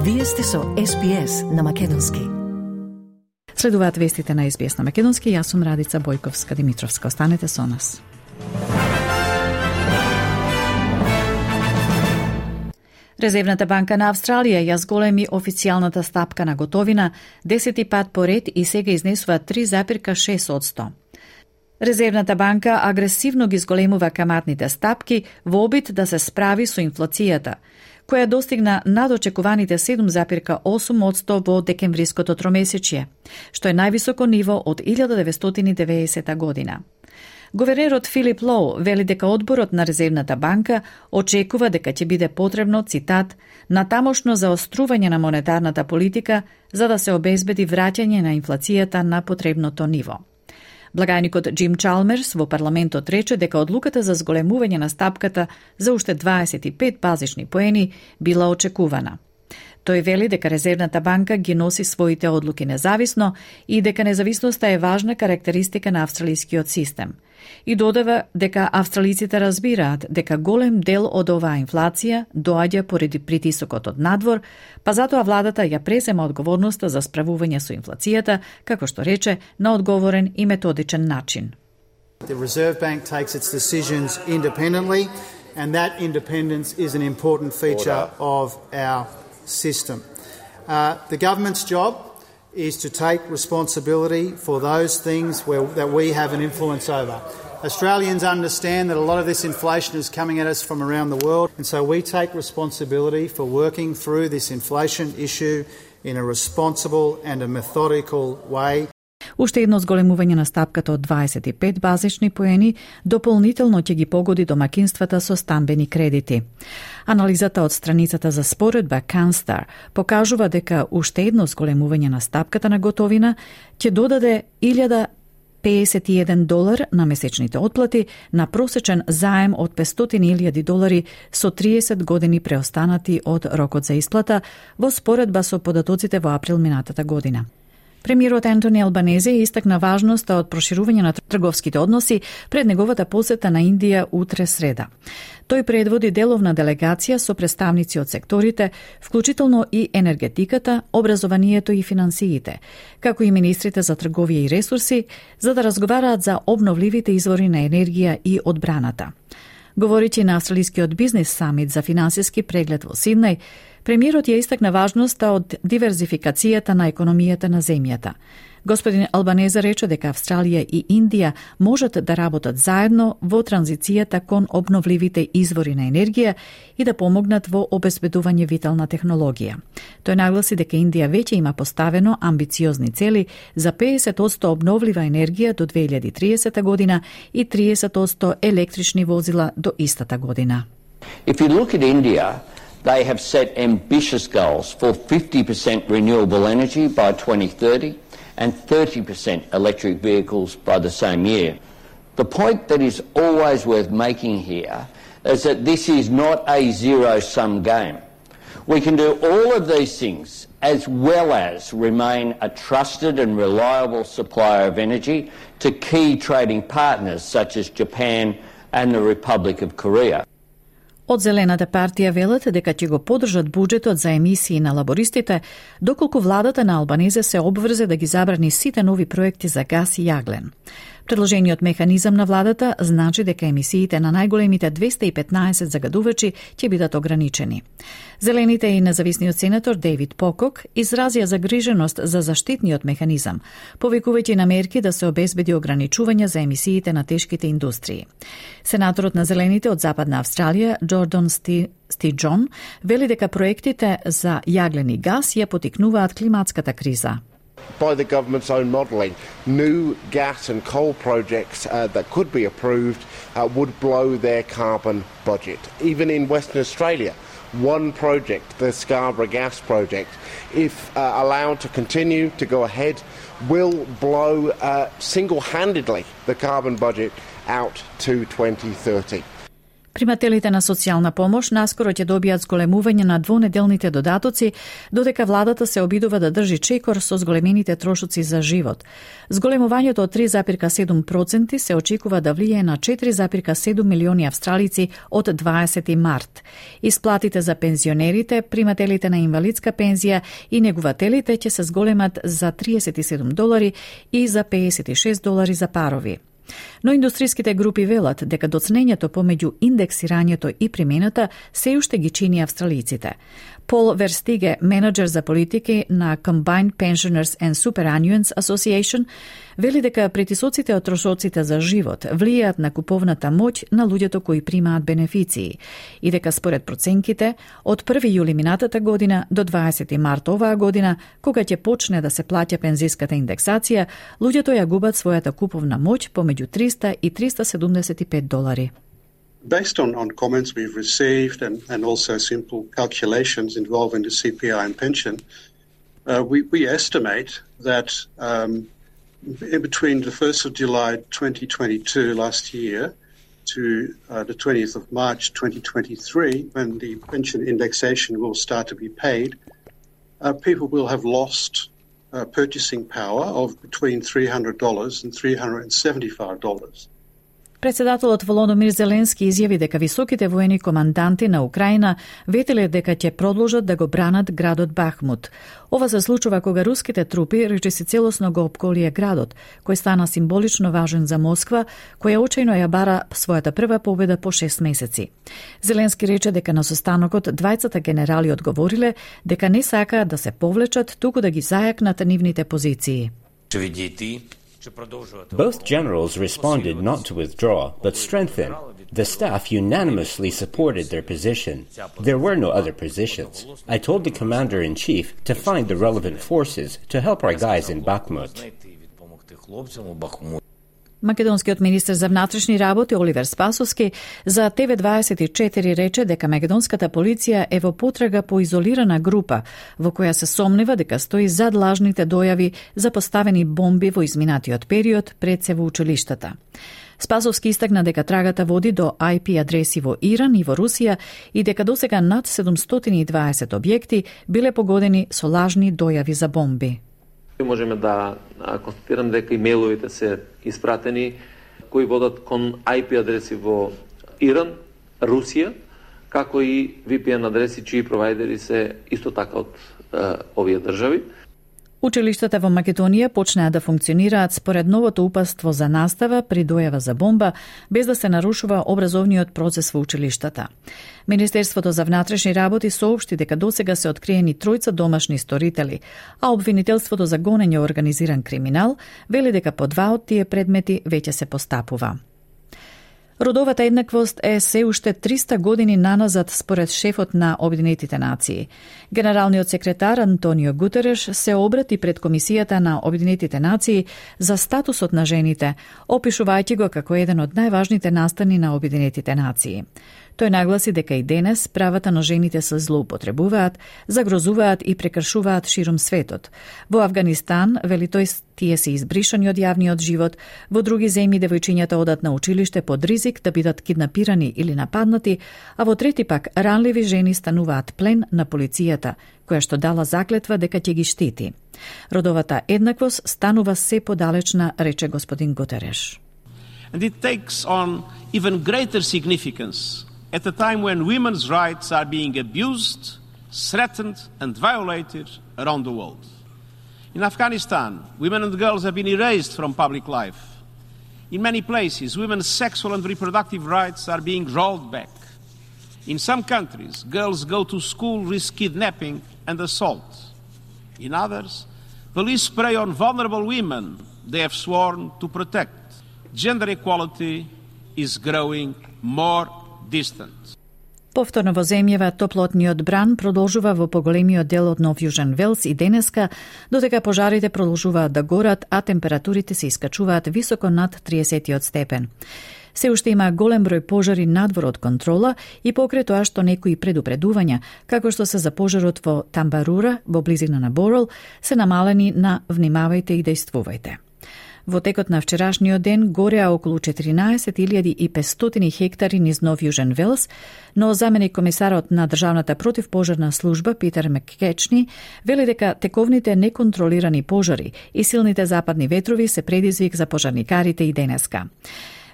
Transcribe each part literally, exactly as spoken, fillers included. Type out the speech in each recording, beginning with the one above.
Вие сте со Ес Би Ес на македонски. Следуваат вестите на Ес Би Ес на македонски. Јас сум Радица Бојковска-Димитровска. Останете со нас. Резервната банка на Австралија ја зголеми официјалната стапка на готовина десети пат поред и сега изнесува три запирка шест одсто. Резервната банка агресивно ги зголемува каматните стапки во обид да се справи со инфлацијата, која достигна надочекуваните седум запирка осум одсто во декемвриското тромесечје, што е највисоко ниво од илјада деветстотини и деветдесета година. Говернерот Филип Лоу вели дека одборот на Резервната банка очекува дека ќе биде потребно, цитат, натамошно заострување на монетарната политика за да се обезбеди враќање на инфлацијата на потребното ниво. Благајникот Джим Чалмерс во парламентот рече дека одлуката за зголемување на стапката за уште дваесет и пет базични поени била очекувана. Тој вели дека Резервната банка ги носи своите одлуки независно и дека независноста е важна карактеристика на австралискиот систем. И додава дека австралиците разбираат дека голем дел од оваа инфлација доаѓа поради притисокот од надвор, па затоа владата ја презема одговорноста за справување со инфлацијата, како што рече, на одговорен и методичен начин. The Reserve Bank takes its decisions independently, and that independence is an important feature of our system. Uh, the government's job is to take responsibility for those things where, that we have an influence over. Australians understand that a lot of this inflation is coming at us from around the world, and so we take responsibility for working through this inflation issue in a responsible and a methodical way. Уште едно зголемување на стапката од дваесет и пет базични поени дополнително ќе ги погоди домакинствата со стамбени кредити. Анализата од страницата за споредба Canstar покажува дека уште едно зголемување на стапката на готовина ќе додаде илјада педесет и еден долар на месечните отплати на просечен заем од петстотини илјади долари со триесет години преостанати од рокот за исплата во споредба со податоците во април минатата година. Премиерот Ентони Албанезе истакна важноста од проширување на трговските односи пред неговата посета на Индија утре среда. Тој предводи деловна делегација со представници од секторите, вклучително и енергетиката, образованието и финансиите, како и министрите за трговија и ресурси, за да разговараат за обновливите извори на енергија и одбраната. Говорејќи на Австралискиот бизнес самит за финансиски преглед во Сиднеј, премиерот ја истакна важноста од диверзификацијата на економијата на земјата. Господин Албанезе рече дека Австралија и Индија можат да работат заедно во транзицијата кон обновливите извори на енергија и да помогнат во обезбедување витална технологија. Тој нагласи дека Индија веќе има поставено амбициозни цели за педесет одсто обновлива енергија до две илјади и триесета година и триесет одсто електрични возила до истата година. If you look at India, they have set ambitious goals for fifty percent renewable energy by twenty thirty and thirty percent electric vehicles by the same year. The point that is always worth making here is that this is not a zero-sum game. We can do all of these things as well as remain a trusted and reliable supplier of energy to key trading partners such as Japan and the Republic of Korea. Од Зелената партија велат дека ќе го поддржат буџетот за емисии на лабористите, доколку владата на Албанезе се обврзе да ги забрани сите нови проекти за гас и јаглен. Предложениот механизам на владата значи дека емисиите на најголемите двеста и петнаесет загадувачи ќе бидат ограничени. Зелените и независниот сенатор Дейвид Покок изразија загриженост за заштитниот механизам, повикувајќи на мерки да се обезбеди ограничување за емисиите на тешките индустрии. Сенаторот на Зелените од Западна Австралија, Джордан Сти Стиџон, вели дека проектите за јаглен и гас ја потикнуваат климатската криза. By the government's own modelling, new gas and coal projects uh, that could be approved uh, would blow their carbon budget. Even in Western Australia, one project, the Scarborough Gas Project, if uh, allowed to continue to go ahead, will blow uh, single-handedly the carbon budget out to twenty thirty. Примателите на социјална помош наскоро ќе добијат зголемување на двонеделните додатоци, додека владата се обидува да држи чекор со зголемените трошоци за живот. Зголемувањето од три зарез седум проценти се очекува да влијае на четири зарез седум милиони австралици од дваесети март. Исплатите за пензионерите, примателите на инвалидска пензија и негувателите ќе се зголемат за триесет и седум долари и за пеесет и шест долари за парови. Но индустриските групи велат дека доцнењето помеѓу индексирањето и примената се уште ги чини австралиците. Пол Верстиге, менеджер за политики на Combined Pensioners and Superannuants Association, вели дека притисоците од трошоците за живот влијаат на куповната моќ на луѓето кои примаат бенефиции и дека според проценките од први јули минатата година до дваесети март оваа година, кога ќе почне да се плаќа пензиската индексација, луѓето ја губат својата куповна моќ помеѓу триста и триста седумдесет и пет долари. Based on, on comments we've received and, and also simple calculations involving the C P I and pension, uh, we, we estimate that um, in between the first of July twenty twenty-two last year to uh, the twentieth of March twenty twenty-three, when the pension indexation will start to be paid, uh, people will have lost uh, purchasing power of between three hundred dollars and three hundred seventy-five dollars. Председателот Володомир Зеленски изјави дека високите воени команданти на Украина ветеле дека ќе продолжат да го бранат градот Бахмут. Ова се случува кога руските трупи речиси целосно го опколија градот, кој стана символично важен за Москва, која очајно ја бара својата прва победа по шест месеци. Зеленски рече дека на состанокот двајцата генерали одговориле дека не сакаат да се повлечат, туку да ги зајакнат нивните позиции. Both generals responded not to withdraw, but strengthen. The staff unanimously supported their position. There were no other positions. I told the commander-in-chief to find the relevant forces to help our guys in Bakhmut. Македонскиот министер за внатрешни работи Оливер Спасовски за Т В дваесет и четири рече дека македонската полиција е во потрага по изолирана група во која се сомнева дека стои зад лажните дојави за поставени бомби во изминатиот период пред се во училиштата. Спасовски истакна дека трагата води до I P адреси во Иран и во Русија и дека досега над седумстотини и дваесет објекти биле погодени со лажни дојави за бомби. Можеме да констатираме дека имејловите се испратени кои водат кон I P адреси во Иран, Русија, како и V P N адреси чии провайдери се исто така од е, овие држави. Училиштата во Македонија почнаа да функционираат според новото упатство за настава при дојава за бомба, без да се нарушува образовниот процес во училиштата. Министерството за внатрешни работи соопшти дека досега се откриени тројца домашни сторители, а обвинителството за гонење организиран криминал вели дека по два од тие предмети веќе се постапува. Родовата еднаквост е се уште триста години наназад според шефот на Обединетите нации. Генералниот секретар Антонио Гутереш се обрати пред Комисијата на Обединетите нации за статусот на жените, опишувајќи го како еден од најважните настани на Обединетите нации. Тој нагласи дека и денес правата на жените се злоупотребуваат, загрозуваат и прекршуваат широм светот. Во Авганистан, вели тој, тие се избришани од јавниот живот, во други земји девојчињата одат на училиште под ризик да бидат киднапирани или нападнати, а во трети пак ранливи жени стануваат плен на полицијата, која што дала заклетва дека ќе ги штити. Родовата еднаквост станува се подалечна, рече господин Гутереш. And it takes on even greater significance at a time when women's rights are being abused, threatened and violated around the world. In Afghanistan, women and girls have been erased from public life. In many places, women's sexual and reproductive rights are being rolled back. In some countries, girls go to school, risk kidnapping and assault. In others, police prey on vulnerable women they have sworn to protect. Gender equality is growing more distant. Повторно во земјава топлотниот бран продолжува во поголемиот дел од Нов Јужен Велс и денеска, додека пожарите продолжуваат да горат, а температурите се искачуваат високо над триесетиот степен. Се уште има голем број пожари надвор од контрола и покрај тоа што некои предупредувања, како што се за пожарот во Тамбарура, во близина на Борол, се намалени на внимавајте и дејствувајте. Во текот на вчерашниот ден гореа околу четиринаесет илјади и петстотини хектари низ Нов Јужен Велс, но заменик комисарот на Државната противпожарна служба Питер Маккечни вели дека тековните неконтролирани пожари и силните западни ветрови се предизвик за пожарникарите и денеска.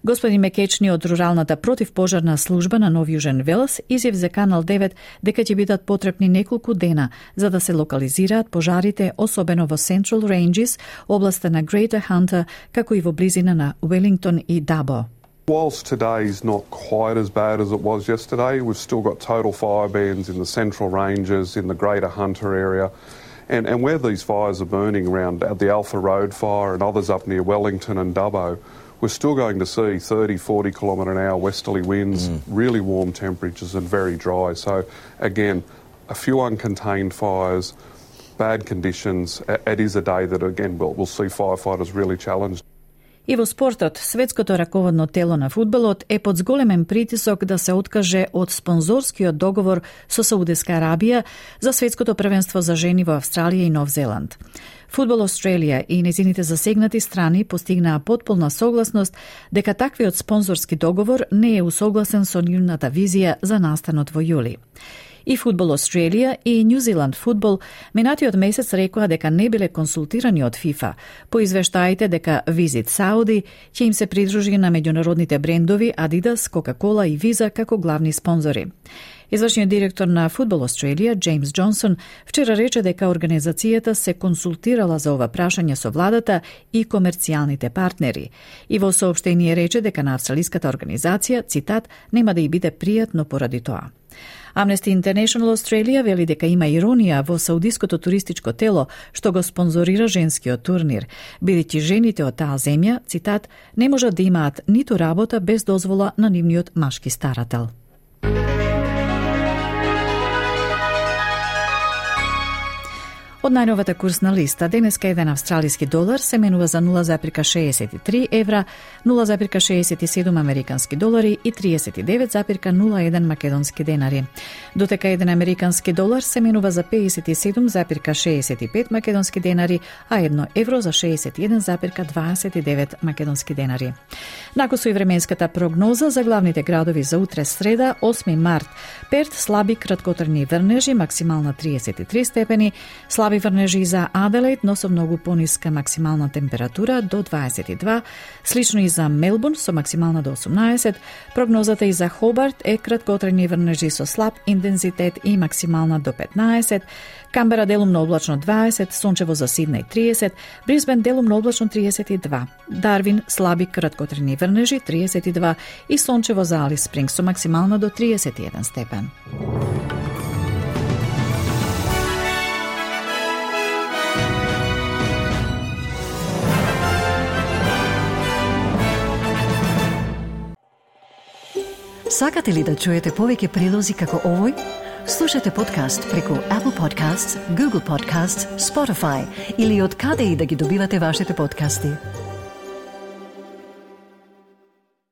Господин Мекечни од Руралната противпожарна служба на Нов Јужен Велс изјав за Канал девет дека ќе бидат потребни неколку дена за да се локализираат пожарите, особено во Central Ranges, областа на Greater Hunter, како и во близина на Велингтон и Дабо. Whilst today's not quite as bad as it was yesterday, we've still got total fire bans in the Central Ranges, in the Greater Hunter area. And, and where these fires are burning around the Alpha Road fire and others up near Wellington and Dubbo, we're still going to see thirty, forty kilometre an hour westerly winds, mm. really warm temperatures and very dry. So again, a few uncontained fires, bad conditions. It is a day that again we'll, we'll see firefighters really challenged. И во спортот, светското раководно тело на фудбалот е под зголемен притисок да се откаже од спонзорскиот договор со Саудиска Арабија за светското првенство за жени во Австралија и Нов Зеланд. Фудбал Австралија и незините засегнати страни постигнаа потполна согласност дека таквиот спонзорски договор не е усогласен со нивната визија за настанот во јули. И Фудбал Австралија и Нью Зеланд Фудбал минатиот месец рекоа дека не биле консултирани од ФИФА по извештаите дека Visit Saudi ќе им се придружи на меѓународните брендови Adidas, Coca-Cola и Visa како главни спонзори. Извршниот директор на Фудбал Австралија, Джеймс Джонсон, вчера рече дека организацијата се консултирала за ова прашање со владата и комерцијалните партнери. И во соопштение рече дека на австралиската организација, цитат, нема да и биде пријатно поради тоа. Amnesty International Australia вели дека има иронија во саудиското туристичко тело што го спонзорира женскиот турнир, бидејќи жените од таа земја, цитат, не можат да имаат ниту работа без дозвола на нивниот машки старател. Од најновата курсна листа, денеска еден австралиски долар се менува за нула запирка шеесет и три евра, нула запирка шеесет и седум американски долари и триесет и девет запирка нула еден македонски денари. Дотека еден американски долар се менува за пеесет и седум запирка шеесет и пет македонски денари, а едно евро за шеесет и еден запирка дваесет и девет македонски денари. Накусо и временската прогноза за главните градови за утре среда, осми март. Перт слаби краткотрajни врнежи, максимална триесет и три степени, слаби врнежи за Аделаид, но со многу пониска максимална температура до дваесет и два, слично и за Мелбурн со максимална до осумнаесет. Прогнозата и за Хобарт е краткотрajни врнежи со слаб интензитет и максимална до петнаесет, Камбера делумно облачно дваесет, сончево за Сиднеј триесет, Брисбен делумно облачно триесет и два, Дарвин слаби краткотрajни врнежи триесет и два и сончево за Алис Спрингс со максимална до триесет и еден степен. Сакате ли да чуете повеќе прилози како овој? Слушате подкаст преку Apple Podcasts, Google Podcasts, Spotify или од каде и да ги добивате вашите подкасти.